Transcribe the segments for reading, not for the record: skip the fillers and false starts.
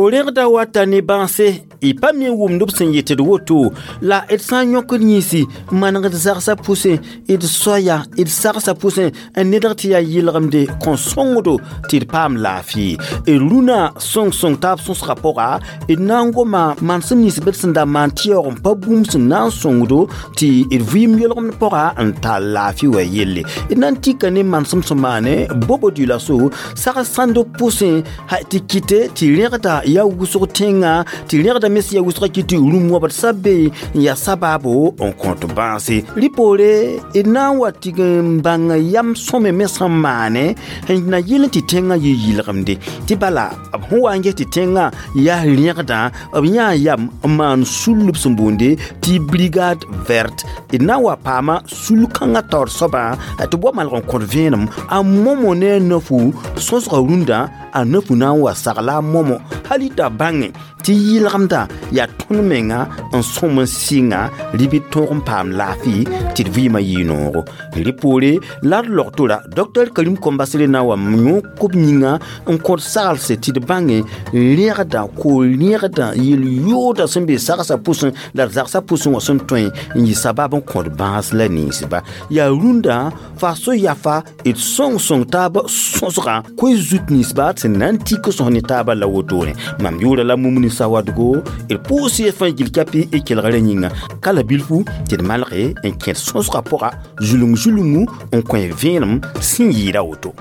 Ko-rẽgda wata ne bãase y pa me n wʋmd b sẽn yetd woto la d sã n yõkd yĩnsi manegd zagsã pʋsẽ d soaya d sagsã pʋsẽ n nedg tɩ yaa yɩlgemde kõ sõngdo tɩ d paam laafɩ d rũnã sõng-sõng taab sõsgã pʋga d na n goma manesem nins b d sẽn da maan tɩ yaoog n pa bũmb sẽn na n sõngdo tɩ d vɩɩm yolgemd pʋga n tall laafɩ wa yelle d na n tika ne manesem sẽn maane bobo dioulasso sag sãnd pʋsẽ tɩ kɩte tɩ rẽgda yaa wʋsg tẽngã tɩ rẽgda me sẽn yaa wʋsgã kɩ tɩ rũm wabd sabe n yaa sabaabo n kõt bãase rɩ poore d na n wa tɩg n bãng yam sõme me sẽn maane n na yɩl n tɩ tẽngã yɩ yɩlgemde tɩ bala b sẽn wa n ges tɩ tẽngã yaa rẽgdã b yãa yam n maan sul b sẽn boonde tɩ brigade verte d na n wa paama sul-kãngã taoor soabã tɩ b wa malg n kõt vẽenem a momo ne a nafu sõsgã rũndã a nafu na n wa sagla a momo hal y t'a bãnge tɩ yɩlgemdã yaa tõnd menga n sõm n sɩnga rɩ bɩ tõog n paam laafɩ tɩ d vɩɩmã yɩ noogo rɩ poore la d logtora Dr Karim Kombasere na n wa yõk b yĩnga n kõt saglse tɩ d bãnge rẽgda ko-rẽgda yel-yooda sẽn be sagsã pʋsẽ la d zagsã pʋsẽ wã sẽn tõe n yɩ sabab n kõt bãas la ninsba yaa rũndã fa so-yafa d sõng-sõng taab sõsgã koe zut ninsba sẽn na n tik sõs ne taabã la wotone mam yʋʋra la Mumuni Sawadgo d pʋʋs y fãa gil kapi y kelgrã yĩnga ka la bilfu tɩ d malge n kẽd sõsgã pʋga zulung-zulungu n kõ vẽenem sẽn yɩɩda woto.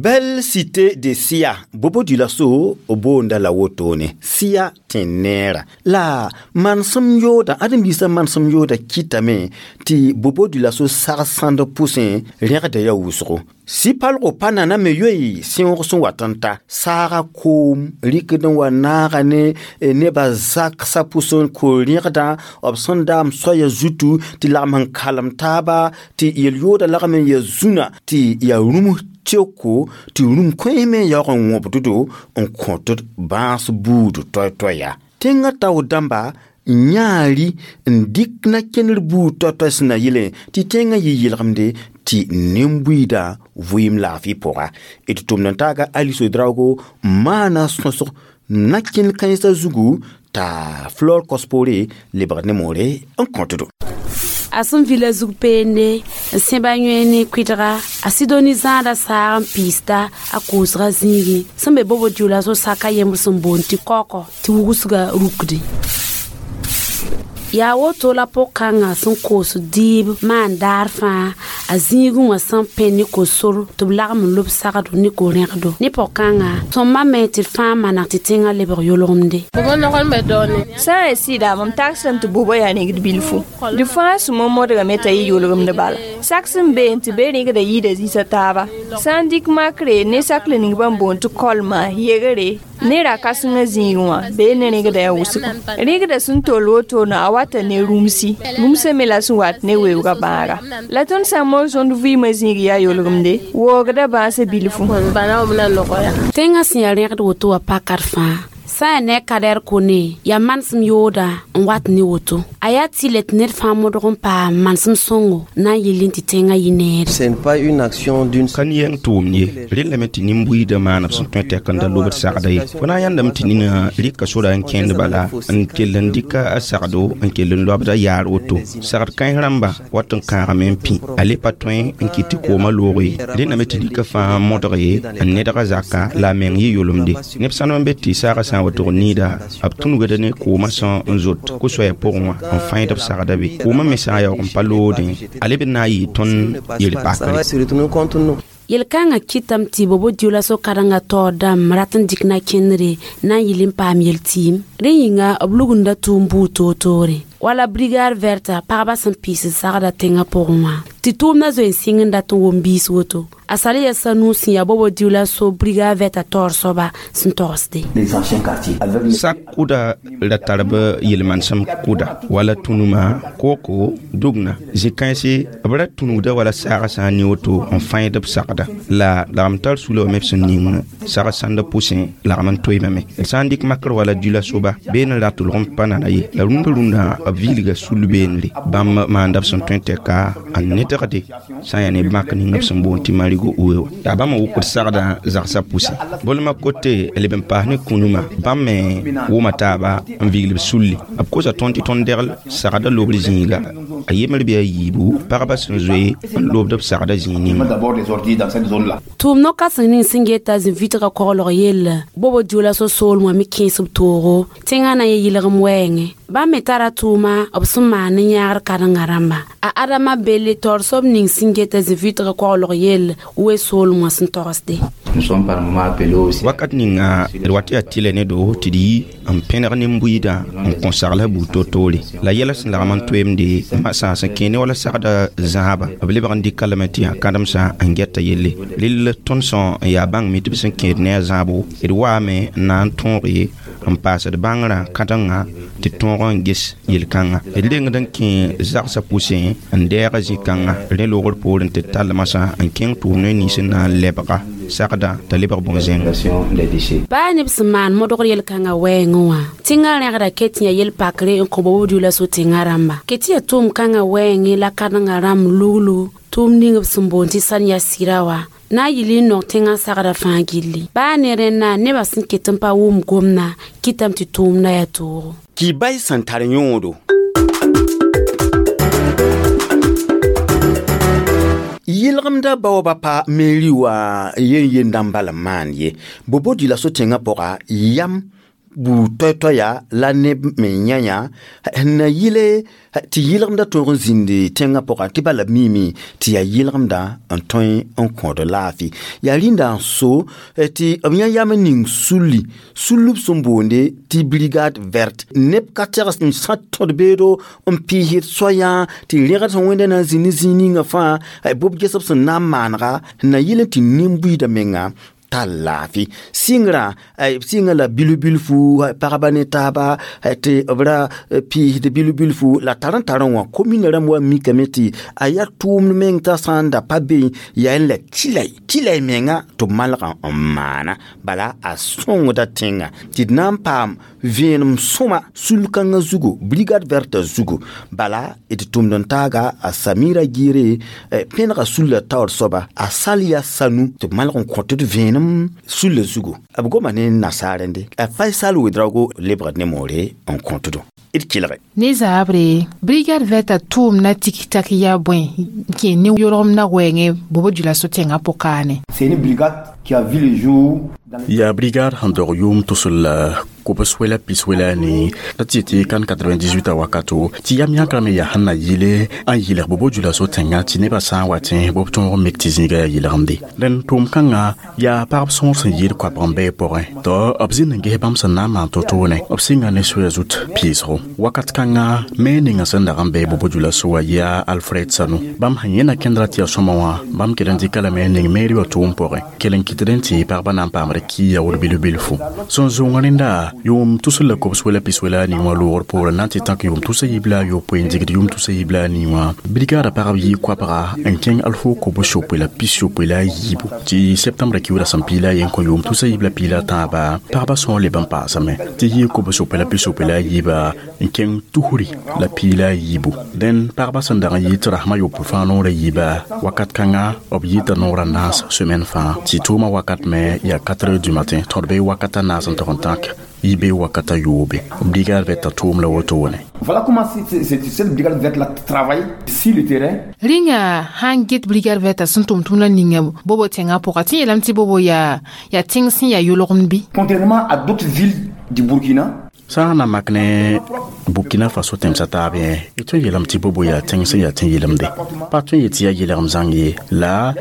Belle cité de Sia, Bobo Dioulasso boonda la wotone Sia tẽn-neera la manesem yooda ãdem-biisã manesem yooda kɩtame tɩ Bobo Dioulasso sag sãnd pʋsẽ rẽgda yaa wʋsgo sɩ-palgo pa nana me yoe sẽoog sẽn wat n ta saaga koom rɩkd n wa naaga ne nebã zaksã pʋsẽ ko-rẽgdã b sẽn daam soaya zutu tɩ lagem n kalem taaba tɩ yel-yooda lagem n ya zũnã tɩ yaa rũms tɩoko tɩ rũm kões me n yaoog n wõbddo n kõtd bãas buud toay-toaya tẽngã tao dãmba yãa-ri n dɩk na kẽner buud toay-toay sẽn na yɩlẽ tɩ tẽngã yɩ yɩlgemde tɩ nin-buiidã vɩɩm laafɩ pʋga d tʋmd n taaga Alice Ouedraogo n maana sõsg na kẽnd kãensã zugu t'a Flore Kospore lebg ne moore n kõtdo. A sẽn vila zug peende n sẽba yõe ne kʋɩdga a Sidoni zãada saag n piisda a koosga zĩigẽ sẽn be Bobo Dioulasso saka yembr sẽn boond tɩ kaookɔ tɩ wugsga rukde yaa woto la pʋg-kãngã sẽn koos dɩɩb maan daar fãa a zĩigẽ wã sẽn pẽ ne ko-sor tɩ b lagem n lob sagdo ne ko-rẽgdo ne pʋg-kãngã sõmba me tɩ d fãa maneg tɩ tẽngã lebg yolgemde. Sã n ya sɩda mam tagsdame tɩ bobo yaa rẽgd bilfu d fãa sũmã modgame t'a yɩ yolgemd bala sak sẽn beene tɩ be rẽgda yɩɩda zĩsã taaba sã n dɩk makre ne sakle ning bãmb boond tɩ kolmã yegre ne ra-kãsengã zĩig wã bee ne rẽgda yaa wʋsgo rẽgda sẽn tol wotone a wata ne rũmsi rũmsã me la sẽn wat ne weoogã bãaga la tõnd sã n mos tõnd vɩɩmã zĩig yaa yolgemde woogda bãasã bilfu. Tẽngã sẽn yaa rẽgd woto wã pakad fãa sã n yaa ne kadɛr kone yaa manesem yooda n wat ne woto a yaa tɩ le tɩ ned fãa modg n paam manesem sõngo na n yɩl tɩ tẽngã yɩ neere. Ce n'est pas une action d'une Ka yɛng tʋʋmd ye rellame tɩ nin-buiidã maan b sẽn tõe tɛk n da lobd sagda ye fo na n yãndame tɩ nina rɩka sora n kẽnd bala n kell n dɩka a sagdo n kell n loabda yaar woto sagd kãens rãmba wat n kãagame n pĩ a le pa tõe n kɩt tɩ koomã loog ye rẽndame tɩ rɩka fãa modg ye n nedga zaka la a meng yɩ yolemde neb sãnem n be tɩ saagã sã n wa tʋg niida b tũnugda ne koomã sẽn n zot ko-soɛɛ pʋgẽ wã n fãeed b sagda be koomã me sã n yaoog n pa loodẽ a leb n na n yɩɩ tõnd yel-pakre. Ça va se retourner contre nous. Yel-kãngã kɩtame tɩ Bobo Dioulasso karen-gã taoor dãmb rat n dɩk na kẽndre na n yɩl n paam yel-tɩɩm rẽ yĩnga b lugunda tʋʋm buud toor-toore wala brigade verte pagba sẽn piis n sagda tẽngã pʋgẽ wã tɩ tʋʋmdã zoe n sɩng n dat n wʋm biis woto. A sal ya sanu sẽn yaa bobo dioulasso brigade verte taoor soaba sẽn togsde. Sak kʋda ra tar b yel-manesem kʋda wala tũnuma kooko dugna zĩ-kãense b ra tũnugda wala saagã sã n ne woto n fãeed b sagda la lagm tar sula wame b sẽn ning sag sãnda pʋsẽ lagm n toeemame. D sã n dɩk makr wala dioula soba been n rat lg n pa nana ye la rũndã rũndã b vilga sul beenre bãmb maanda b sẽn tõe n tɛka n nedgde sã n yaa ne mak ning b sẽn boond tɩ marigo uwe wã yaa bãmb n wʋkd sagdã zagsã pʋsẽ bolmã kote leb n paas ne kũnumã bãmb me wʋma taaba n vigl b sulli b kosa tõnd tɩ tõnd degl sagda lobr zĩiga a yembr bɩ a yiibu pagba sẽn zoe n lobd b sagda zĩig ninga. Tʋʋm no-kãseng ning sẽn geta zĩ-vitgã koglg yell bobo dioulasso soolem wã me kẽes b toogo tẽngã na n yɩlgem wɛɛngẽ bãmb me tara tʋʋma b sẽn maan ne yãagr kãrengã rãmba a Adama belle taoor soab ning sẽn geta zĩ-vitgã koglg yell we soolem wã sẽn togsde. Wakat ninga d wat yaa tɩlɛ ne do tɩ d yi n pẽneg nin-buiidã n kõ sagla buud to-toore la yɛla sẽn lagm n toeemde masã sẽn kẽ ne wala sagda zãaba b lebg n dɩka lame tɩ yaa kãdemsã n gɛta yelle rell tõnd sõ n yaa bãng mi tɩ b sẽn kẽed ne a zãabo d waame n na n tõoge n paasd bãngrã kãdengã tɩ tõog n ges yel-kãngã d rengd n kẽ zagsã pʋsẽ n dɛɛga zĩ-kãngã rẽ loogr poorẽ tɩ tall masã n kẽng tʋʋm ne nins n na n lebga sagda t'a lebg bõn-zẽnga. Baa neb sẽn maan modgr yel-kãngã wɛɛngẽ wã tẽngã rẽgda ket yã yel-pakre n kõ bobo dioulasso tẽngã rãmba ket tɩ yaa tʋʋm-kãngã wɛɛngẽ la kãdengã rãmb luglu tʋʋm ning b sẽn boond tɩ sãn ya sɩra wa na n yɩl n nong tẽngã sagda fãa gilli baa ne rẽnna nebã sẽn ket n pa wʋm gomdã kɩtame tɩ tʋʋmdã yaa toogo. Kibay sẽn tar yõodo yɩlgemda baoobã pa meri wã yen-yendã n bal n maan ye bobo dioulasso tẽngã pʋga yam buud toay-toaya la neb me yã-yã n na yɩle tɩ yɩlgemdã tõog n zĩndi tẽngã pʋgã tɩ bala b miime tɩ yaa yɩlgemdã n tõe n kõod laafɩ yaa rĩnda n so tɩ b yã yam n ning sulli sullb sẽn boonde tɩ brigade verte neb ka tegs n sã tõd beedo n pɩɩsd soayã tɩ rẽgd sẽn wẽnda na n zĩ ne zĩig ninga fãa bob gesb sẽn na n maanega n na yɩl n tɩ nin-buiidã menga tar laafɩ sɩngrã sɩnga la bilf-bilfu pagba ne taaba tɩ b ra pɩɩsd bilf-bilfu la tar n tar n wã komina rãmb wa mikame tɩ a yaa tʋʋmd meng t'a sã n da pa be yaa n la tɩlay menga tɩ b malgã n maana bala a sõngda tẽngã tɩ d na n paam vẽenem sõma sul-kãngã zugu brigade verte zugu bala d tʋmd n taaga a Samira Gire pẽnega sulla taoor soaba a sal yaa sanu tɩ b malg n kõ tɩ d vẽenem sulla zugu b goma ne nasaarẽnde a Faisal Ouedraogo lebgd ne moore n kõtdo d kelge. Ne zaabre brigade verte tʋʋm na tik-tak yaa bõe kẽ ne yolgem na wɛɛngẽ bobo dioulasso tẽngã pʋkaane. C'est une brigade qui a vu le jour. Yaa brigade sẽn dog yʋʋm tʋsl la kobs-wela pis-wela ne la tɩ yetɩ kan 98 a wakato tɩ yam yãkrã me yaa sẽn na yɩle n yɩlg bobo dioulasso tẽngã tɩ nebã sã n wa tẽ b tõog n mik tɩ zĩiga yaa yɩlgemde dẽn tʋʋm-kãngã yaa pagb sõor sẽn yɩɩd koabg n bɩ pʋgẽ tɩ b zĩnd n ges bãmb sẽn na n maan to-toone b sɩnga ne soya zut pɩɩsgo wakat kãngã me ninga sẽn dag n bɩ bobo dioulasso wã yaa Alfred Sanu bãmb sẽn yẽna kẽndra tɩ yaa sõma wã bãmb kell n dɩka lame n ning meeri wã tʋʋm pʋgẽ kell n kɩtd n tɩ pagba na n paamd ki yaood bilf-bilfu sẽn zʋng rẽnda yʋʋm tusr la kobs wela pis wela ning wã loogr poorẽ na n tɩ tãk yʋʋm tusa yib la a yopoe n digd yʋʋm tusa yib la a nii wã brigada pagb yɩ koabga n kẽng alfo kobs yopoe la pis yopoe la a yiibu tɩ septembra kiuda sẽn piila a yen kõ yʋʋm tusa yib la piila a tãaba pagba sõor leb n paasame tɩ yɩ kobs yopoe la pis yopoe la a yiiba n kẽng tusri la piila a yiibu dẽn pagba sẽn dag n yɩ tɩ rasmã yopoe fãa noorã yiiba wakat kãnga b yɩta noorã naas semaine fãa tɩ tʋʋmã wakat me yaa 4 heures du matin tõd be wakata naas n tog n tãk yibe wakata yoobe brigade verte tʋʋm la woto wone. Voilà comment cette brigade verte là travaille sur le terrain. Rĩnga sãn get brigade verte sẽn tʋm tʋmdã ninga bobo tẽngã pʋga tɩ yeelame tɩ bobo yaa tẽng sẽn yaa yolgemd bɩ. Contrairement à d'autres villes du Burkina, sã n na mak ne Burkina Faso tẽmsã taab yẽ y tõe n yeelame tɩ bobo yaa tẽng sẽn yaa tẽ yɩlemde pa tõe n yet tɩ yaa yɩlgem zãng ye la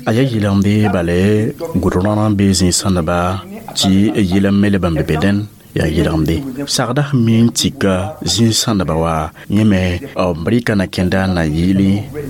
a yaa yɩlemde bale goudron n bee zĩig sãndba tɩ yɩlem me leb n be be dẽn Yaa yɩlgemde sagda sẽn mi n tika zĩig-sãndba wa yẽ me b rɩka na kẽnda n na yɩɩl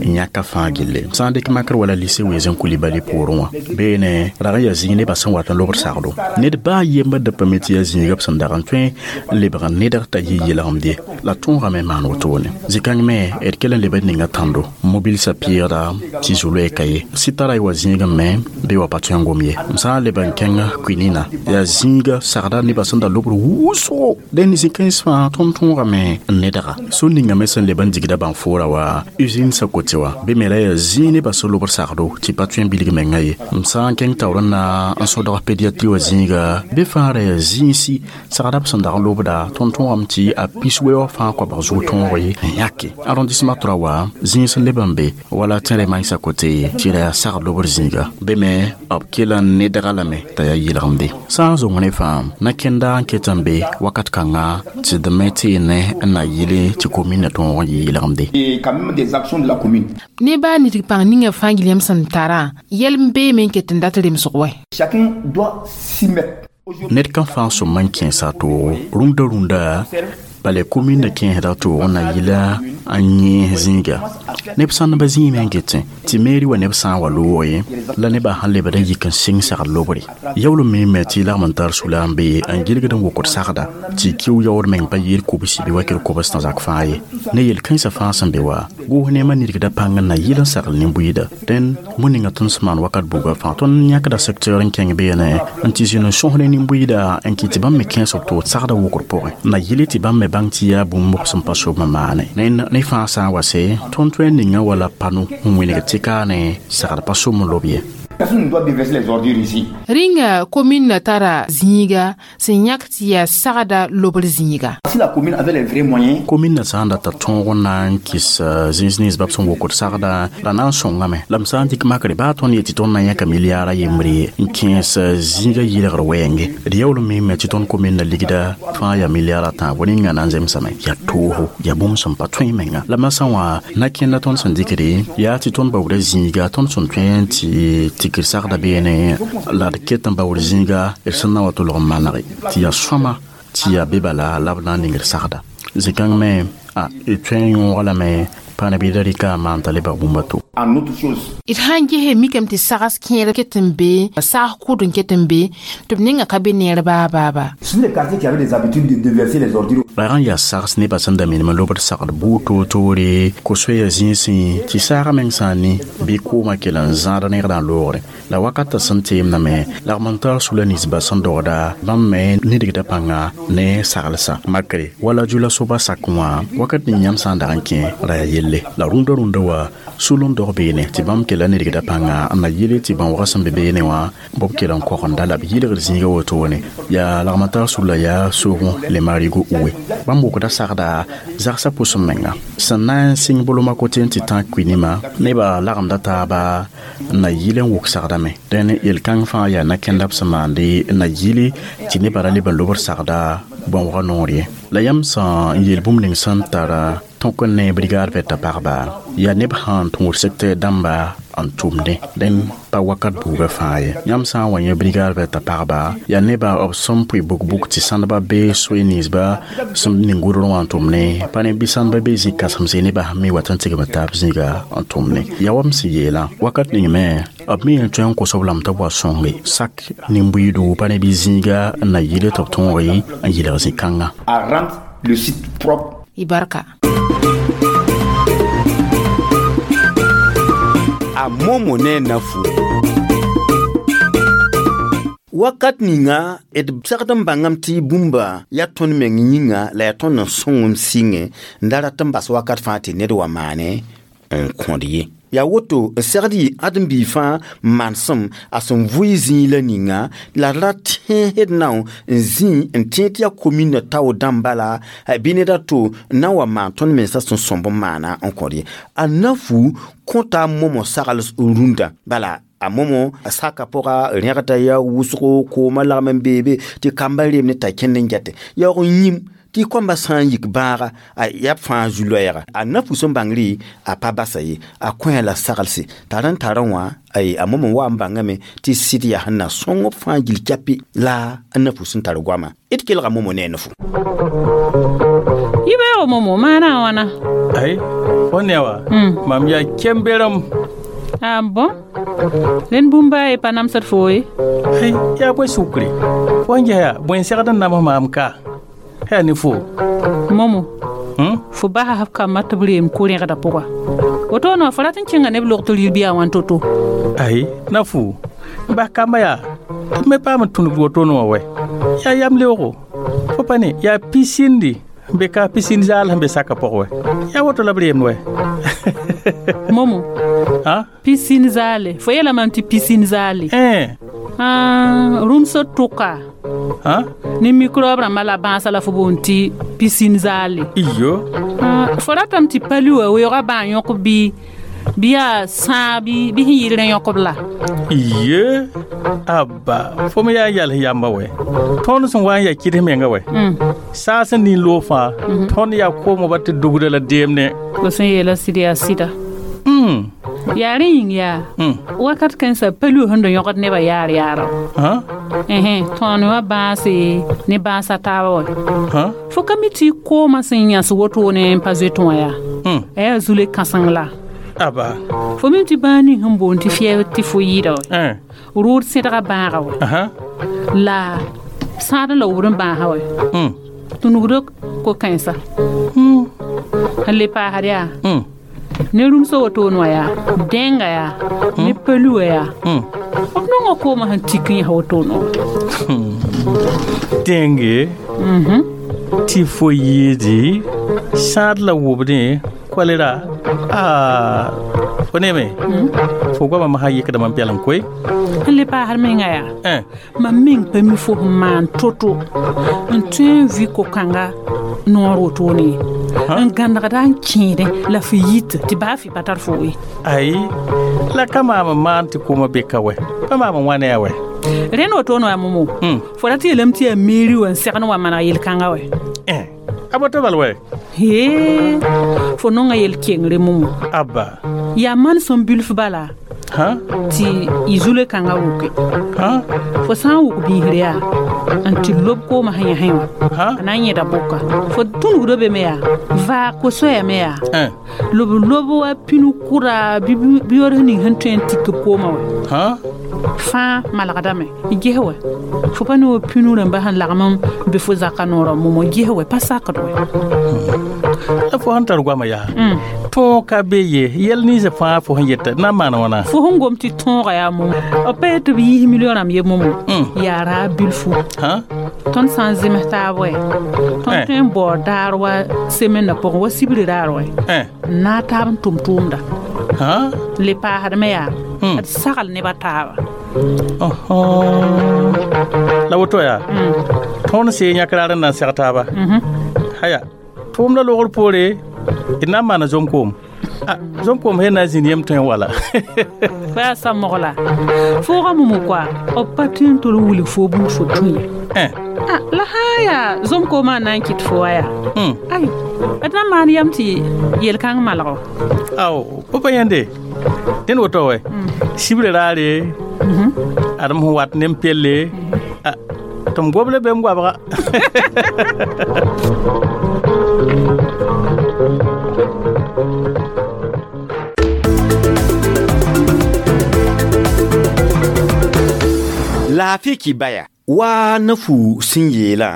n yãka fãa gille. Sã n dɩk makr wala lycée Ouezzin Coulibaly poorẽ wã beene rag n yaa zĩig nebã sẽn wat n lobd sagdo. Ned baa yembr da pa me tɩ yaa zĩiga b sẽn dag n tõe n lebg n nedg t'a yɩ yɩlgemde la tõogame maan wotone. Zĩ-kãng me d kell n leb d ninga tãndo mobil sa pɩɩgda tɩ zu-loɛɛ ka ye sɩ tara y wa zĩigẽ me bɩ wa pa tõe n gom ye. M sã n leb n kẽng Kuinina yaa zĩiga sagda nebã sẽn da lobr wʋsgo dẽnd zĩ-kãens fãa tõnd tõogame n nedga. So ninga me sẽn leb n digda bãn-foora wa usine sa kote wa bɩ me la yaa zĩig nebã sẽn lobr sagdo tɩ pa tõe n bilg menga ye. M sã n kẽng taoor n na n sõdg pédiatrie wa zĩiga bɩ fãa ra yaa zĩigsi sagda b sẽn dag n lobda tõnd tõogame tɩ a pis weoog fãa koabg zug tõog ye n yãke. Arrondissement 3 wa zĩig sẽn leb n be wala tẽre maensã kote tɩ ra yaa sagd lobr zĩiga bɩ me b kell n nedga lame t'a yaa yɩlgemde. Sã n zong ne fãa na kẽnda n ket n be wakat kãnga tɩ d me tɩ ne n na yɩle tɩ commune na tõog n yɩ yɩlgemde. Et quand même des actions de la commune. Ne baa nidg pãng ninga fãa gilem sẽn tarã yɛl n beeme n ket n dat remsg wɛ. Chacun doit s'y mettre. Ned kan fãa sõm n kẽesa toogo rũndã rũndã bala commune na kẽesda toog n na yɩla n yẽes zĩiga. Neb sãndbã zĩime n getẽ tɩ mairie wa neb sã n wa loog ye la nebã sẽn lebd n yik n sɩng sagd lobre. Yaool n miime tɩ lagm n tar sula n be n gilgd n wokd sagda tɩ kiu yaood meng pa yɩɩd kobsi bɩ wakr kobs tã zak fãa ye. Ne yel-kãensã fãa sẽn be wa goos neemã nidgda pãng n na yɩl n sagl nin-buiida. Dẽnd bũmb ninga tõnd sẽn maan wakat buga fãa tõnd yãkda secteur n kẽng beene n tɩ zĩnd n sõs ne nin-buiida n kɩt tɩ bãmb me kẽes b toog sagda wokr pʋgẽ na yɩle tɩ bãmb me bãng tɩ yaa bũmb b sẽn pa sob n maane. Ne fãa sã n wa se tõnd tõe n ninga wala pano n wĩneg tɩ kaane sagd pa som n lob ye. Personne ne doit déverser les ordures ici. Rĩnga commune na tara zĩiga sẽn yãk tɩ yaa sagda lobr zĩiga. Si la commune avait les vrais moyens, commune na sã n data tõog n na n kɩs zĩis nins b sẽn wokd sagda la na n sõngame. La m sã n dɩk makre baa tõnd yetɩ tõnd na yãka milliard a yembre n kẽes zĩiga yɩlgr wɛɛnge. D yaool n miime tɩ tõnd commune na ligda fãa yaa milliard a tãabo ninga na n zemsame. Yaa toogo yaa bũmb sẽn pa tõe menga. La masã wã na kẽnda tõnd sẽn dɩkde yaa tɩ tõnd baoodã zĩiga tõnd sẽn tõe n tɩ tikr sagda beene la d ket n baood zĩiga d sẽn na wa tolg n manege tɩ yaa sõma tɩ yaa be bala la b na n ningd sagda. Zĩ-kãng me a d tõe n yõog lame pa nabiida rɩka n maan t'a lebg bũmb a to. En autre chose. D sãn gese mikame tɩ sags kẽer ket n be, sags kʋd n ket n be, tɩ b ninga ka be neer baa baa baa. Ce sont les quartiers qui avaient des habitudes de déverser les ordures. Rag n yaa sags nebã sẽn da minim n lobd sagd buud toor-toore ko-soɛɛg zĩisẽ tɩ saagã meng sã n ne bɩ koomã kell n zãad negdã n loogre. La wakatã sẽn teemdame lagm n tar sula ninsbã sẽn dogda bãmb me nidgda pãnga ne saglsã makre wala jula soba sak wã wakat ning yãmb sã n dag n kẽ ra yaa yelle. La rũndã rũndã wa sul n dog beene tɩ bãmb kella nidgda pãnga n na yɩle tɩ bãoogã sẽn be beene wã b kell n kogenda la b yɩlgd zĩiga wotone. Yaa lagm n tar sula yaa soogẽ le marigo uwe. Bãmb wokda sagda zagsã pʋsẽ menga. Sẽn na n sɩng bolomã kote n tɩ tã kuinimã nebã lagmda taaba n na yɩl n wok sagdame. Dẽn yel-kãng fãa yaa na-kẽnda b sẽn maande n na yɩle tɩ nebã ra leb n lobd sagda bãoogã noor ye. La yãmb sã n yeel bũmb ning sẽn tara tõk n ne brigade vɛta pagba yaa neb sãn tũud secteur dãmba n tʋmdẽ dẽn pa wakat buugã fãa ye. Yãmb sã n wa yẽ brigade vɛta pagba yaa nebã b sẽn pʋɩ buk-buk tɩ sãndbã bee soe ninsba sẽn ning gʋdr wã n tʋmne pa ne bɩ sãndbã bee zĩ-kãsemse nebã sẽn me wat n tigm taab zĩiga n tʋmne. Yaa wa m sẽn yeelã wakat ning me b me n tõe n kos b lame tɩ b wa sõnge sak nin-buiido pa ne bɩ zĩiga n na yɩle tɩ b tõoge n yɩlg zĩ-kãngã. À rendre le site propre. Y barka. A momo ne nafu. Wakat ninga d sagd n bãngame tɩ bũmba yaa tõnd meng yĩnga la yaa tõnd n sõng m sɩngẽ n da rat n bas wakat fãa tɩ ned wa maane n kõd ye. Yaa woto n segd yɩ ãdem-biig fãa manesem a sẽn vʋɩ zĩig la ninga la d ra tẽesd nao n zĩ n tẽed tɩ yaa commune tao dãmba la bɩ ned a to n na n wa maan tõnd mensã sẽn sõmb n maana n kõd ye. A nafu kõta momõ sagl rũndã bala a momo a saka pʋga rẽgda yaa wʋsgo koomã lagm n beebe tɩ kamba reem ne t'a kẽnd n gɛte yaoog n yĩm Tɩ koambã sã n yik bãaga a yaa b fãa zu-loɛɛga a na-fu sẽn bãngre a pa basa ye a kõ la saglse t'a rẽn tarã wã a mom n wa n bãngame tɩ sɩd yaa sẽn na sõng b fãa gil kɛpɩ la a na-fu sẽn tar goama d kelga momo ne a na-fu yibeoogo momo maana a wãna ay fo ne wa mam yaa kemberem ah bon rẽnd bũmb baa ye pa namsd fo ye ay yaa bõe sukre fo n ges yaa bõe n segd n nams maam ka yaa ne fo momo fo basa f kambã tɩ b reem ko-rẽgdã pʋga woto wã fo rat n kẽnga neb log tɩ rɩl bɩ a wãn to-to ay na fu n bas kamba yaa tɩ me paam n tũnugd wotone wã wɛ yaa yam leoogo fo pa ne yaa pisindi n be ka pisin zaal sẽn be saka pʋg wɛ yaa woto la b reemd wɛ momo pisin zaale fo yeela mam tɩ pisin zaale rũmsd tʋka ne microbe rãmbã la bãasã la fo boond tɩ pisin zaale iyo fo ratame tɩ pali wã weoogã bã yõk bɩ bɩ yaa sãa bɩ sẽn yɩl rẽ yõkb la iye abba fo me yaa n yals yamba wɛ tõnd sẽn wa n yaa kɩds menga wɛ saa sẽn nin loog fãa tõnd yaa koomã ba tɩ dugda la deemne fo sẽn yeela sɩd yaa sɩda yaa rẽ yĩng yaa wakat kãensã pali sẽn da yõgd nebã yaar yaara tõon wã bãase ne bãasa taaba wɛ fo ka mi tɩ koomã sẽn yãs wotone n pa zoetẽ wã yaa a yaa zule kãseng la aba fo mim tɩ bãag ning sẽn boond tɩ fɩɛɛb tɩ fo yɩɩda wɛ rʋʋd sẽdga bãaga wɛ la sãad la wubd n bãasa wɛ tũnugd ko-kãensa n le paasd yaa ne rũmsã wotone wã yaa dẽnga yaa ne pali wã yaa b nonga koomã sẽn tik n yãs wotone wã dẽnge tɩ fo yɩɩdi sãad la wubdẽ kolera fo neme fo goamã masã yɩkda mam pɛlem koe n le paasd menga yaa mam meng pa mi fo sẽn maan to-to n tõe n vɩ ko-kãnga noor wotone ye n gãnegda n kẽedẽ la fo yit tɩ baa fɩ pa tar fo ye ai la ka maam n maan tɩ koomã beka wɛ pa maam n wã ne a wɛ rẽnd wotone wã momo fo rat yeelame tɩ yaa meeri wã n segn wa maneg yel-kãnga wɛ a boto bal wɛ he fo nonga yel-kengre momo abba yaa man sẽn bilf bala tɩ y zule kãngã wʋke fo sã n wʋk biisre yaa n tɩ lob koomã sẽn yãsẽ wã a na n yẽda bʋka fo tũnugdã be me yaa vaag ko-soɛɛme yaa lob lob wa pinu kʋra bɩ yores ning sẽn tõe n tik b koomã wɛ fãa malgdame ges wɛ fo pa ne wa pinu rãmbã sẽn lagm n be fo zaka noorã momo ges wɛ pa sakd wɛ la fo sẽn tar goamã yaa tõog ka be ye yɛl ninsã fãa fo sẽn yeta na n maana wãna fo sẽn gom tɩ tõoga yaa momo b pa yet tɩ b yiis million rãmb ye momo yaa raa bilfu tõnd sã n zems taab wɛ tõnd tõe n baood daar wa semennã pʋgẽ wa sibri raar wɛ n naag taab n tʋm tʋʋmda le paasdme yaa d sagl nebã taaba la woto yaa tõnd see yãk raar n na n seg taaba haya tʋʋmda logr poore d na n maana zom-koom zom-koom sẽn na n zĩnd yem tõe n wala fa yaa sa-mogla fooga momo koa b pa tõe n tol n wilg fo bũmb fo tũ ye la sã n yaa zom-koomã n na n kɩt fo wa yaa ay d na n maan yam tɩ yel-kãng malgo ao fo pa yãnde dẽnd woto wɛ sibrã raare adem sẽn wat ne n pelle tɩ m goble be m goabga laafɩ kɩ baya wa na-fu sẽn yeelã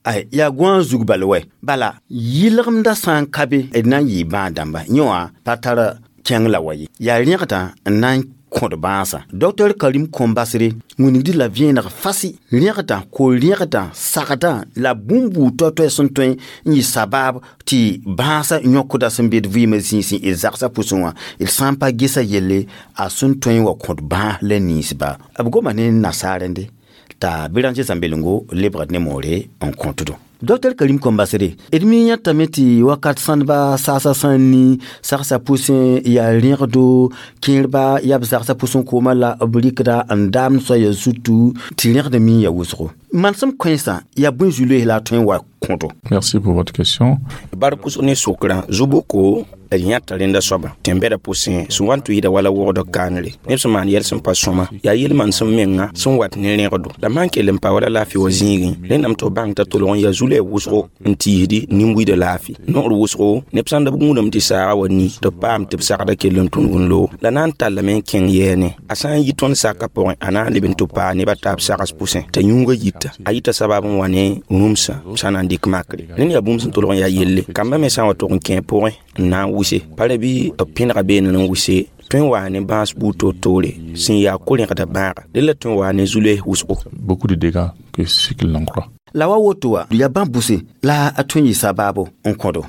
ay yaa gõa zug bal wɛ bala yɩlgemdã sã n ka be d na n yɩɩ bãag-dãmba yẽ wã pa tar kẽng la wa ye yaa rẽgdã n na n kõd bãasã docteur Karim Kõm-Basre wĩnigd la vẽeneg fasɩ rẽgdã ko-rẽgdã sagdã la bũmb buud toay-toay sẽn tõe n yɩ sabaab tɩ bãasã yõkda sẽn be d vɩɩmã zĩisẽ d zagsã pʋsẽ wã d sã n pa gesa yelle a sẽn tõe n wa kõd bãas la ninsba b goma ne nasaarẽnde t'a Béranger Zãmbelengo lebgd ne moore n kõtdo Dr Karim Kombasere d mi yãtame tɩ wakat sãndba saasa sã n ni sagsã pʋsẽ yaa rẽgdo kẽerba yaa b zagsã pʋsẽ koomã la b rɩkda n daamd soaya zutu tɩ rẽgd mi ya wʋsgo manesem kãensã yaa bõe zu-loees la a tõe n wa kõdo. Merci pour votre question. Barkus ne sokra zuboko d yãta rẽnda soaba tẽn-bɛda pʋsẽ sẽn wa n tʋɩɩda wala wogd kaanre neb sẽn maan yɛl sẽn pa sõma yaa yel-manesem menga sẽn wat ne rẽgdo la maan kell n pa wala laafɩ wa zĩigẽ rẽndame tɩ b bãng t'a tolg n yaa zu-loɛɛ wʋsgo n tiisdi nin-buiida laafɩ noor wʋsgo neb sãn da b gũudame tɩ saaga wa ni tɩ b paam tɩ b sagda kell n tũnug n loog la na n tallame n kẽng yɛɛne a sã n yi tõnd saka pʋgẽ a na n leb n tɩ paa neb a taab sags pʋsẽ t'a yũuga yita a yita sabab n wa ne rũmsã sã na n dɩk makre rẽnd yaa bũmb sẽn tolg n yaa yelle kambã me sã n wa tʋg n kẽ pʋgẽ n na n wʋse pa ra bɩ b pẽnega beene n wʋse tõe n waa ne bãas buud toor-toore sẽn yaa ko-rẽgda bãaga dẽ la tõe n waa ne zu-loees wʋsgo. Beaucoup de dégâts que ce qu'ils n'en croient. La wa woto wa yaa bãmb bʋse la a tõe n yɩ sabaabo n kõdo.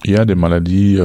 Il y a des maladies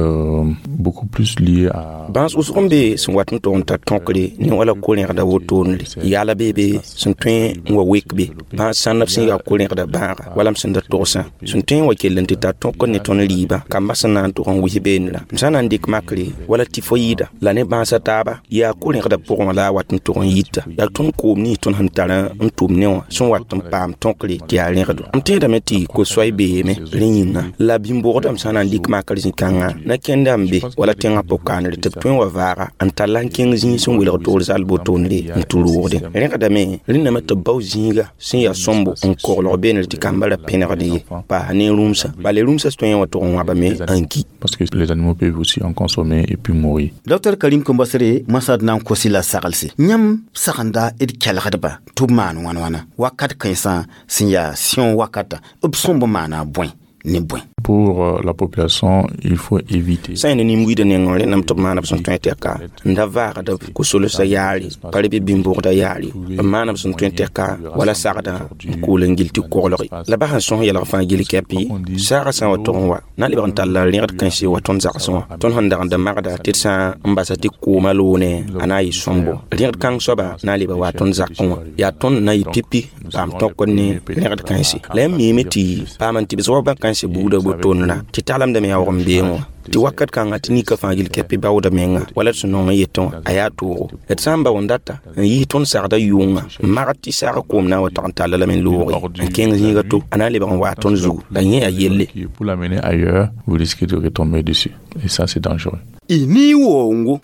beaucoup plus liées à bãas wʋsg n be sẽn wat n tog n tar tõkre ne wala ko-rẽgda wotoonre yaala beebe sẽn tõe n wa wek be bãas sãndb sẽn yaa ko-rẽgda bãaga wala m sẽn da togsã sẽn tõe n wa kell n tɩ tar tõkr ne tõnd rɩɩbã kambã sẽn na n tog n wis beenrã m sã na n dɩk makre wala tɩfo-yɩɩda la ne bãasã taaba yaa ko-rẽgda pʋgẽ wã la a wat n tog n yita yaa tõnd koom nins tõnd sẽn tar n tʋm ne wã sẽn wat n paam tõkre tɩ yaa rẽgdo m tẽedame tɩ ko-soay beeme rẽ yĩnga la bĩm-bogdame sã na n dɩk makr zĩ-kãngã na kẽnda n be wala tẽngã pʋg-kaanre tɩ b tõe n wa vaaga n tall n kẽng zĩig sẽn welg toor zal botoonre n tɩ roogde rẽgdame rẽndame tɩ b bao zĩiga sẽn yaa sõmbo n koglg beenre tɩ kambã ra pẽnegd ye paas ne rũmsã bala rũmsã tõe n wa tʋg n wãbame n ki. Parce que les animaux peuvent aussi en consommer et puis mourir. Dr Karim Kombasere masad na n kosi la saglse yãmb sagenda d kelgdba tɩ b maan wãn-wãna wakat kãensã sẽn yaa sẽo wakata b sõmb maana bõe ne bõe. Pour la population, il faut éviter. Sã ne nin-buiidã nengẽ rẽndame tɩ b maana b sẽn tõe tɛka n da vaagda ko-solsã yaare pa bɩ bĩm-bogda yaare b maana b sẽn tõe tɛka wala sagdã n kool n gil tɩ koglge la ba sẽn sõs yɛlg fãa gil kɛpɩ saagã sã n wa tog n wa na lebg n talla rẽgd kãense wa tõnd zagsẽ wã tõnd sẽn dag n da magda tɩ d sã n basa tɩ koomã loone a na n yɩ sõmbo rẽgd kãng soaba na n leba wa tõnd zakẽ wã yaa tõnd na yɩ pipi paam tõkd ne rẽgd kãense la yãmb miime tɩ paam n tɩbs wa bã kãense buudã botoonrã tɩ taglemdame yaa wag n beeng wã tɩ wakat kãngã tɩ nika fãa gil kɛpɩ baooda menga wala d sẽn nong n yetẽ wã a yaa toogo d sã n bao n data n yis tõnd sagda yʋʋngã n magd tɩ saag koom na n wa tag n talla lame n looge n kẽng zĩiga to a na n lebg n waa tõnd zugu la yẽ yaa yelle. Pour l'amener ailleurs, vous risquez de retomber dessus. Et ça, c'est dangereux. Y ni wongo.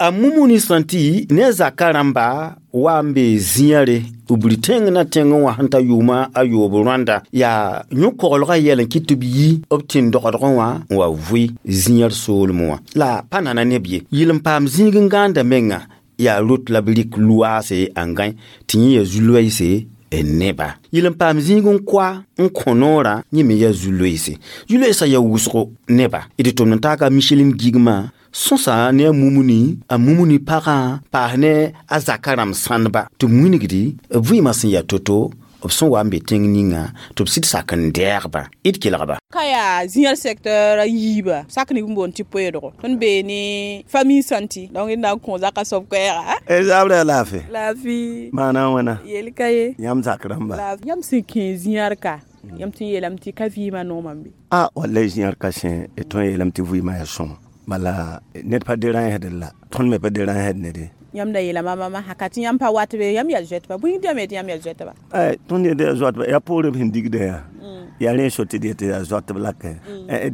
A mumuni santi ne zaka rãmba wa n be zĩyare b tẽng na tẽng wã sẽn ta yʋʋma a yoob rãnda yaa yõ-koglgã yɛl n kɩt tɩ b yi b tẽn-dogdgẽ wã n wa vʋɩ zĩyar soolem wã la pa nana neb ye yɩl n paam zĩig n gãanda menga yaa rot la b rɩk luaase n gãe tɩ yẽ yaa zu-loeese n neba yɩl n paam zĩig n koa n kõ noorã yẽ me yaa zu-loeese zu-loeesã yaa wʋsgo neba d tʋmd n taaka Michelin gigmã sõsa ne a mumuni pagã paas ne a zaka rãmb sãndba tɩ b wilgdi b vɩɩmã sẽn yaa to-to b sẽn wa n be tẽng ninga tɩ b sɩd sak n dɛɛgba d kelgba. Ka yaa zĩyar secteur yiiba sak neb n boond tɩ poeedgo tõnd bee ne famille santi donc d na n kõ zaka soab koɛɛga. Zabra laafɩ laafɩ maana wãna yel ka ye yãmb zak rãmba yãmb sẽn kẽ zĩyar ka yãmb tɩ n yeelame tɩ ka vɩɩmã noomã be. A wallahi zĩyar ka sẽ d tõe n yeelame tɩ vɩɩmã yaa sõma bala ned pa derãnsd la tõnd me pa derãnsd nede. Yãmb da yeelame mama haka tɩ yãmb pa wat be yãmb yaa zoɛtba bũi dame tɩ yãmb yaa zoɛtba. Tõnd yetɩ yaa zoɛtba yaa poorẽ b sẽn digda yaa yaa rẽ so tɩ d yetɩ yaa zoɛtb la ka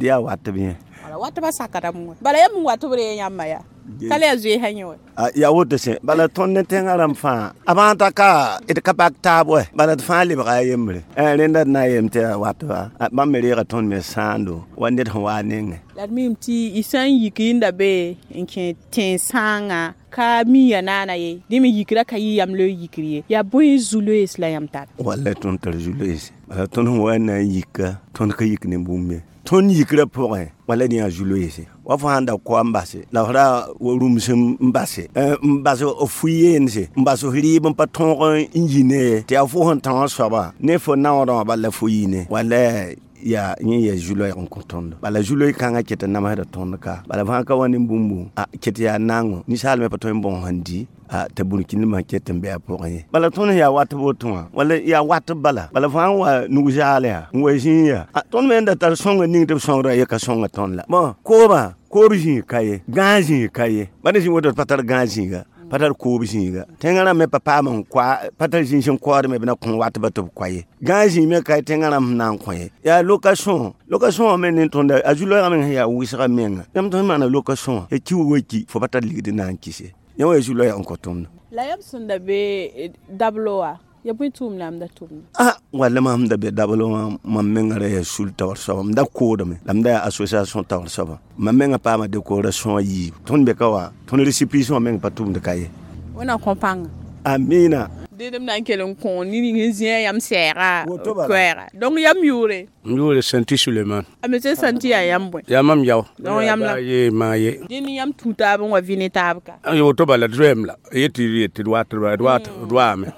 d yaa watb yẽ. Watbã sakdame wã bala yãmb n watb re yãmba yaa ka la yaa zoeesã yẽ wã. Yaa woto sẽ bala tõnd ne tẽngã rãmb fãa a bãag t'a ka d ka bak taab wɛ bala d fãa lebga a yembre rẽnda d na n yeem tɩ yaa watba bãmb me reega tõnd me sãando wa ned sẽn waa nengẽ. La d miime tɩ y sã n yik yẽnda be n kẽ tẽn-sãangã ka mi ya naana ye dẽ me yikra ka yɩ yam loe yikr ye yaa bõe zu-loees la yãmb tar. Wallay tõnd tar zu-loeese bala tõnd sẽn wa n na n yika tõnd ka yik ne bũmb ye tõnd yikrã pʋgẽ wala dẽ yaa zu-loeese wa fo sãn da koa n base la f ra wa rũms n base n bas f fu-yeense n bas f rɩɩb n pa tõog n yi ne tɩ yaa fo sẽn tão soaba ne fo naoodã wã bala la fo yi ne wala yaa yẽ yaa zu-loɛɛg n kõ tõndo bala zu-loeeg kãngã ket n namsda tõnd ka bala fãa ka wa ne bũmbu a ket yaa nango ninsaal me pa tõe n bõs n di A tɩ burkĩndmã ket n be a pʋgẽ ye. Bala tõnd yaa wat woto wã, wala yaa wat bala. Bala fãa n wa nug zaal yaa, n wa zĩig yaa. Tõnd me n da tar sõnga ning tɩ b sõngrã ye ka sõnga tõnd la. Bõ, koobã, koob zĩig ka ye, gãag zĩig ka ye. Bala zĩ woto pa tar gãag zĩiga, pa tar koob zĩiga. Tẽngã rãmb me pa paam n koa, pa tar zĩig sẽn kood me b na kõ wat ba tɩ b koa ye. Gãag zĩig me ka ye tẽngã rãmb sẽn na n kõ ye. Yaa location, location wã me ne tõnda a zu-loɛɛgã meng sẽn yaa wʋsgã menga. Yãmb tõe n maana location wã, ya ki wa ki, fo pa tar ligd n na n kɩse. Yã wa ya zu-loɛɛg n kõ tõndo. La yam sẽn da be dablo wã, ya bõe tʋʋm la yãmb da tʋmda? Walla mam da be dablo wã, mam mengã ra yaa sul taoor soaba, m da koodame, la m da yaa association taoor soaba. Mam mengã paama décoration a yiib. Tõnd be ka wa, tõnd récépissé wã meng pa tʋmd ka ye. Wẽnnaam kõ pãnga. Amina. Dẽdem na n kell n kõ nin-ning n zĩ yam sɛɛga koɛɛga. Donc yam yʋʋre? M yʋʋre Santi Suleiman. A monsieur Santi yaa yam bõe? Yaa mam yao. Donc yam la ye maa ye. Dẽnd yãmb tũ taab n wa vɩ ne taab ka? Woto bala d zoeem la. Yet tɩ d wat d waame.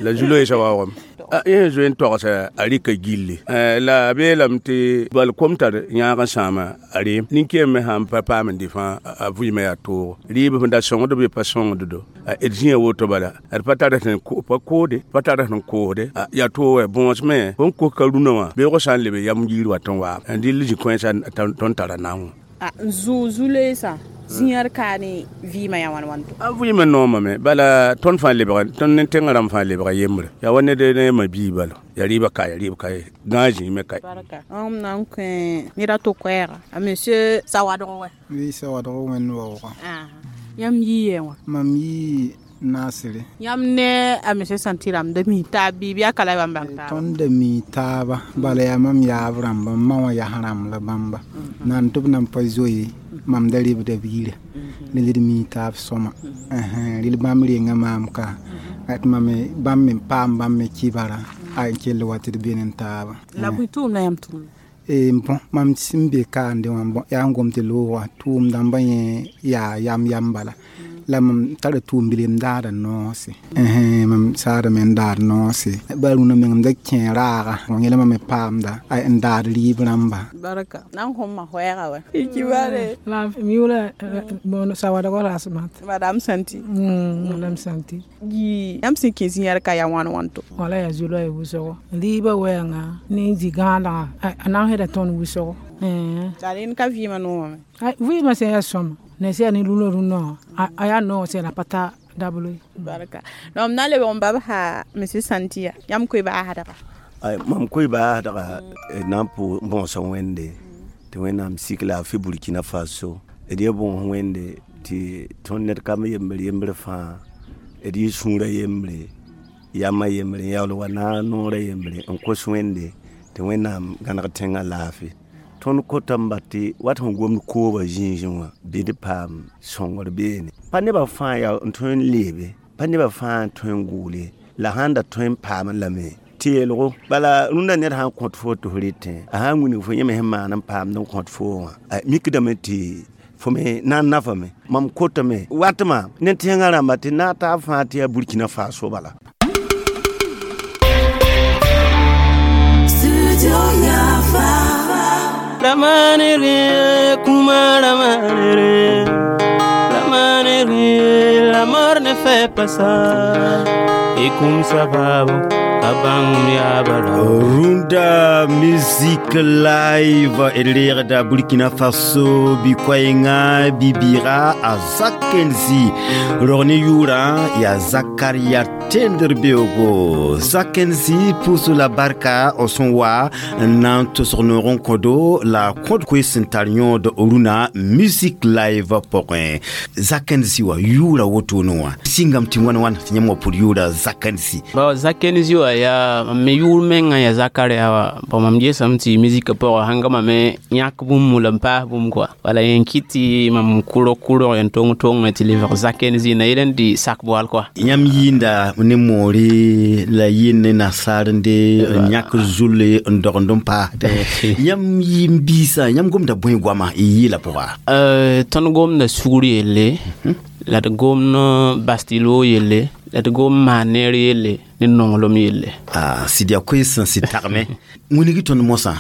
La zu-loeesã waoogame. Yẽ zoe n togsa a rɩka gilli. La a beelame tɩ bal kom tar yãag n sãama a reem. Nin-kẽem me sãn pa paam n dɩ fãa a vɩɩmã yaa toogo. Rɩɩb sẽn da sõngd bɩ pa sõngd-do. D zĩa woto bala, d pa tar sẽn pa koode, pa tar sẽn koosde. Yaa toog wɛ bõos me, fõn kos ka rũnã wã, beoogã sã n leb yam yiir wat n waam. Dɩl zĩ-kãensã tõnd tara naong. N zʋ zu-loeesã zĩyãr kaa ne vɩɩmã yaa wãn wãn to? A vɩɩmã noomame, bala tõnd fãa lebga, tõnd ne tẽngã rãmb fãa lebga yembre. Yaa wa ned ne ma bii bala. Yaa rɩɩbã ka, yaa rɩɩb ka ye. Gãag zĩig me ka ye. Barka. M na n kõ ned a to koɛɛga. A monsieur Sawadg wɛ? Oui, Sawadg wẽnd waoogã. Yãmb yii yɛ wã? Mam yii Nasire. Yãmb ne a monsieur Santi rãmb da mi taab bɩ bɩ a ka la bãmb bãng taaba? Tõnd da mi taaba, bala yaa mam yaab rãmba, m ma wã yas rãmb la bãmba. Nan tɩ b nan pa zoe, mam da rebda b yira. Rel d mi taab sõma. Rel bãmb renga maam ka. Tɩ mam me bãmb me paam bãmb me kibara, a n kell wa tɩ d be ne taaba. La bõe tʋʋm la yãmb tʋʋmda? Bõ, mam sẽn be kaande wã, bõ, yaa n gom tɩ loogã, tʋʋm dãmbã yẽ yaa yam yam bala. La mam tara tʋʋm bil m daada noose. Mam saadame n daad noose. Ba rũnã meng m da kẽ raaga, yẽla mam me paamda n daad rɩɩb rãmba. Barka. Na n kõm ma koɛɛga wɛ. Kibare. La m yʋʋra bon Sawadg Rasmat. Madame Santi. Madame Santi. Yɩ yãmb sẽn kẽ zĩ-yãr ka yaa wãn wãn to? Wala yaa zu-loɛɛg wʋsgo. Rɩɩbã wɛɛngã ne zĩ-gãadgã, a na n sẽda tõnd wʋsgo. La rẽnd ka vɩɩmã noomame? Vɩɩmã sẽn yaa sõma. Ne sẽn yaa ne rũnã rũnã wã, a yaa noog sẽn la pa ta dablo ye. Barka. Donc m na n lebg n babsa monsieur Santi yaa. Yãmb koe baasdga? Mam koe baasdga na n pʋʋs bõosa Wẽnde tɩ Wẽnnaam sik laafɩ Burkina Faso. D yaa bõos Wẽnde tɩ tõnd ned kam yembr yembr fãa, d yɩ sũurã yembre, yamã yembre, n yaool wa naag noorã yembre, n kos Wẽnde tɩ Wẽnnaam gãneg tẽngã laafɩ. Tõnd kotame ba tɩ wat sẽn gomd koobã zĩigẽ wã bɩ d paam sõngr beene. Pa nebã fãa yaa n tõe n leebe, pa nebã fãa n tõe n gʋʋle, la sãn da tõe n paamẽ lame tɩ yeelgo. Bala rũndã ned sã n kõt fo tɩ f rɩtẽ, a sã n wilg fo yẽ me sẽn maan n paamd n kõt fo wã, mikdame tɩ fo me na n nafame. Mam kotame watma ne tẽngã rãmba tɩ naag taab fãa tɩ yaa Burkina Faso bala. Ramanere, kuma ramanere, ramanere, la mort ne fait pas ça. Et comme ça va, Runda Music Live elera Burkina Faso bikwaenga bibira a Zakenzi Rorne yura ya Zakaria Tenderbeogo Zakenzi pousse la barka o son wa nan tosnoron kodo la kod kwesentarnion de Runa Music Live pokwen Zakenzi wa yura wotono singam tingwan wan tinyamo pour yura Zakenzi. Bon Zakenzi wa ya me yʋʋr mengã ya Zakaria wa bon mam gesame tɩ musique pʋgã sãn ga mame yãk bũmb la n paas bũmb kɔa wala yẽn kɩt tɩ mam kʋrg n tong tongme tɩ lebg Zakenzi na yel n dɩ sak boal kɔa. Yãmb yɩɩnda ne moore la yɩɩnd ne nasaarende n yãk zulle n dogend n paasdẽ yãmb yɩɩm biisã yãmb gomda bõe goama y yɩɩla pʋga? Tõnd gomda sugr yelle la d gomd bastilo yelle La tɩ gom n maan neer yelle ne nonglem yelle. Sɩd yaa koees sẽn sɩd tagme wilg tõnd mosã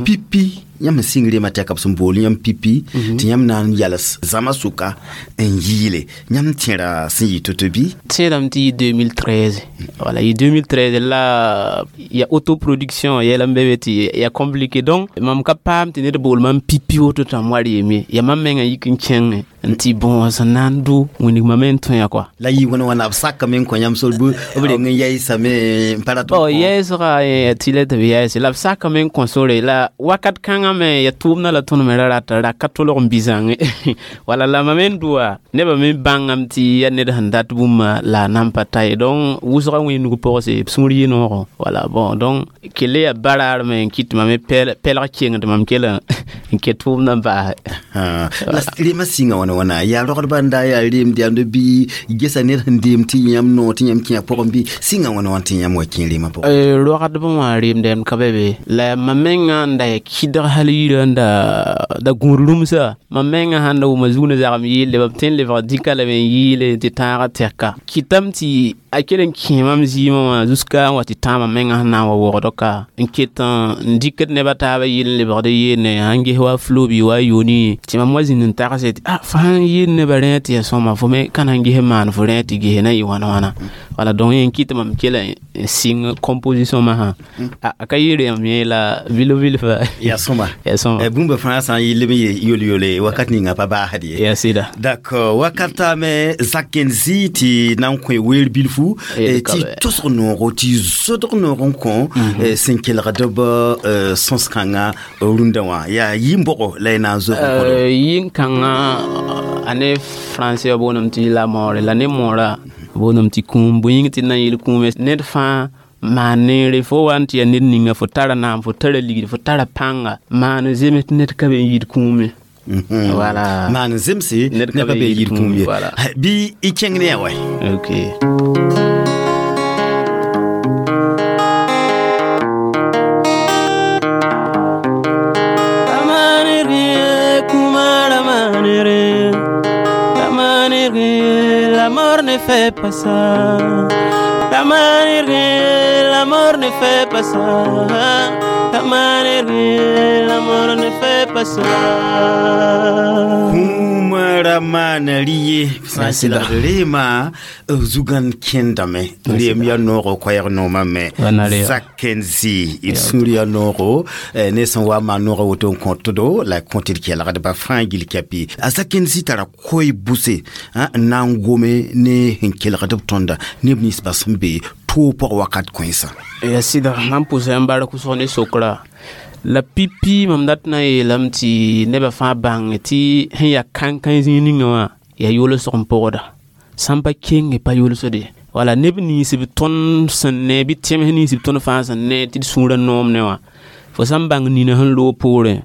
pipi yãmb sẽn sɩng reema tɛka b sẽn bool yãmb pipi tɩ yãmb na n yals zãma sʋka n yɩɩle yãmb tẽra sẽn yɩ to-to bɩ? Tẽedame tɩ yɩ 2013, wala yɩ 2013 la ya autoproduction yɛl n be be tɩ ya compliqué. Donc mam ka paam tɩ ned bool mam pipi woto tɩ mam wa reem ye. Ya mam menga yik n kẽngẽ n tɩ bõo sẽn na n dʋ wĩndg mame n tõe kɔa. La yɩ wãna wãna b sakame n kõ yãmb sor b reng n yɛɛsame n pa rat? Bon, yɛɛsga tɩ la tɩ b yɛɛse la b sakame n kõ sore la wakat kãngã me ya tʋʋmdã la tõnd me ra rata ra ka tolg n bizãngẽ wala la mam n dʋa nebã me bãngame tɩ ya ned sẽn dat bũmba la a nan pa ta ye. Donc wʋsgã wẽnug pɔgse b sũur yɩ noogo wala. Bon, donc kell yaa baraar me n kɩt tɩ mam pɛlg keng tɩ mam kell n ket tʋʋmdã n baase. La reemã sɩnga wãna wãna yaa rogdbã n da yaa reem deamd bɩ gesa ned sẽn deem tɩ yãmb noog tɩ yãmb kẽ a pʋgẽ bɩ sɩnga wãna wãn tɩ yãmb wa kẽ reemã pʋgẽ? Rogdbã wã reem deamd ka be be la mam menga n da ya kɩdg hal yirã n da gũud rũmsa. Mam menga sãn da wʋma zug ne zagem yɩɩle b tõe n lebg dɩka lame n yɩɩle tɩ tãagã tɛka kɩtame tɩ a kell n kẽ mam zɩɩmã wã jusqu'à n wa tɩ tãamã menga sẽn na n wa wogd ka n ket n dɩkd neb a taabã yɩl n lebgd yeene sãn ges wa flo bɩ wa yoni tɩ mam wa zĩnd n tagse tɩ fo sãn yɩɩl nebã rẽ tɩ ya sõma fo me ka na n ges n maan fo rẽ tɩ ges na yɩ wãna wãna wala. Donc yẽ n kɩt mam kell n sɩng composition masã a ka yɩ reem yẽ la vil vilfa. Ya sõma. Ya sõma. Bũmba fãa sã n yɩl b yol-yole wakat ninga pa baasd ye. Ya sɩda. D'accord, wakata me Zakenzi tɩ na n kõ weer bilfu tɩ tosg noogo tɩ zodg noog n kõ sẽn kelgd b sõs-kãngã rũndã wã yaa yɩ-bʋgo la y na n zog n kõ? Yɩ-kãngã a ne français booname tɩ la moore la ne moorã booname tɩ kũum bõe yĩng tɩ d na n yɩl kũume ned fãa maan neere fo wa n tɩ yaa ned ninga fo tara naam fo tara ligd fo tara pãnga maan zems tɩ ned ka be n yid kũum ye. Voilà. Maan zemse ned ka be n yid kũum ye bɩ y kẽng ne ya wɛ. Ok. L'amour ne fait pas ça. La manière, l'amour ne fait pas ça. La manière, l'amour ne fait pas ça. Kũumã maana rɩye sã n kelgd reema zugan kẽndame reem ya noogo koɛɛg noomã me Zakenzi d sũur ya noogo ne sẽn wa maan noogã woto n kõtdo la kõ tɩ d kelgdba fãa gill kɛpɩ a Zakenzi tara koe buse n na n gome ne sẽn kelgd b tõnda neb ninsbã sẽn be toog pʋg wakat kõensã. Ya sɩda mam pʋsa n bark wʋsg ne sokra la pipi mam dat na n yeelame tɩ nebã fãa bãng tɩ sẽn yaa kãn-kãe zĩig ninga wã yaa yolsg n pʋgda sãn pa kenge pa yolsde wala neb nins b tõnd sẽn ne bɩ tẽms nins b tõnd fãa sẽn ne tɩ d sũurã noom ne wã fo sã n bãng nina sẽn loog poorẽ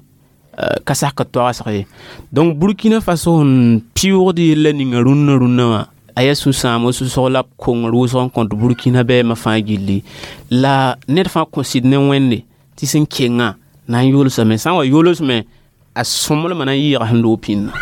ka sak toagsg ye. Donc Burkina Faso sẽn pɩʋʋgd yella ninga rũnnã rũnnã wã a yaa sũ-sãam sũ-sog la b kongr wʋsg n kõt Burkina bɛɛmã fãa gilli la ned fãa kõ sɩd ne Wẽnde tɩ sẽn kengã na n yolsame sã n wa yolsme a sõmblmã na n yɩɩga sẽn loog pĩndã.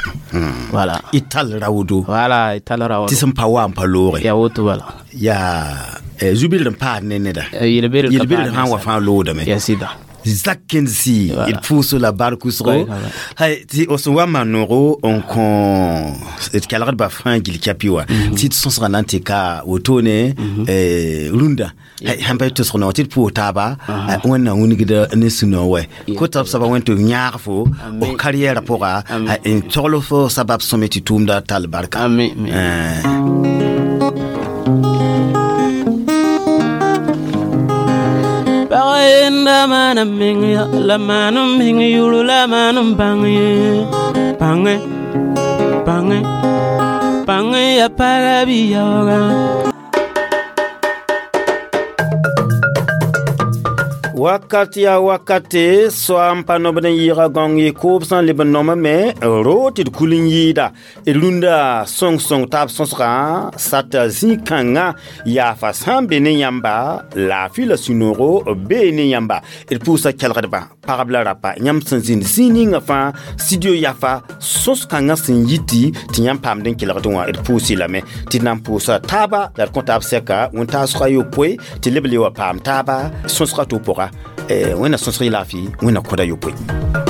Wala. Y tall raoodo. Wala, y tall raoodo. Tɩ sẽn pa wa n pa looge. Ya woto bala. Yaa zu-bɩrd n paad ne neda. Yel-bɩrd yel-bɩrd sã n wa fãa loodame. Ya sɩda. Zakenzi d pʋʋso la bark wʋsgo hay tɩ b sẽn wa maan noogo n kõ d kelgdba fãa gill kɛpɩ wã tɩ d sõsgã na n tɩ ka wotone rũndã sãn pa y tosg noog tɩ d pʋʋs taaba Wẽnnaam wilgda ne sũ-noog wɛ kota b soaba Wẽnd tɩ b yãag fo f karriɛɛrã pʋga n togl fo sabab sõme tɩ tʋʋmda tall barka. La maana meng ya la maana meng yuru la maana bang ye bang bang bang ya para bi yoga. Wakat yaa wakate soa n pa nobd n yɩɩga gãong ye koob sã n leb n noamame ro tɩ d kul n yɩɩda d rũndã sõng-sõng taab sõsgã sata zĩ-kãngã yaafa sã n be ne yãmba laafɩ la sũ-noogo bee ne yãmba. D pʋʋsa kelgdbã pagb la rapa yãmb sẽn zĩnd zĩig ninga fãa studio yafa sõs-kãngã sẽn yiti tɩ yãmb paamd n kelgd wã d pʋʋs-y lame tɩ d na n pʋʋsa taaba la d kõ taab sɛka wẽn-taasgã yopoe tɩ leb le wa paam taaba sõsgã to pʋga. Wẽnna sõsg y laafɩ wẽnna kõda yopoe.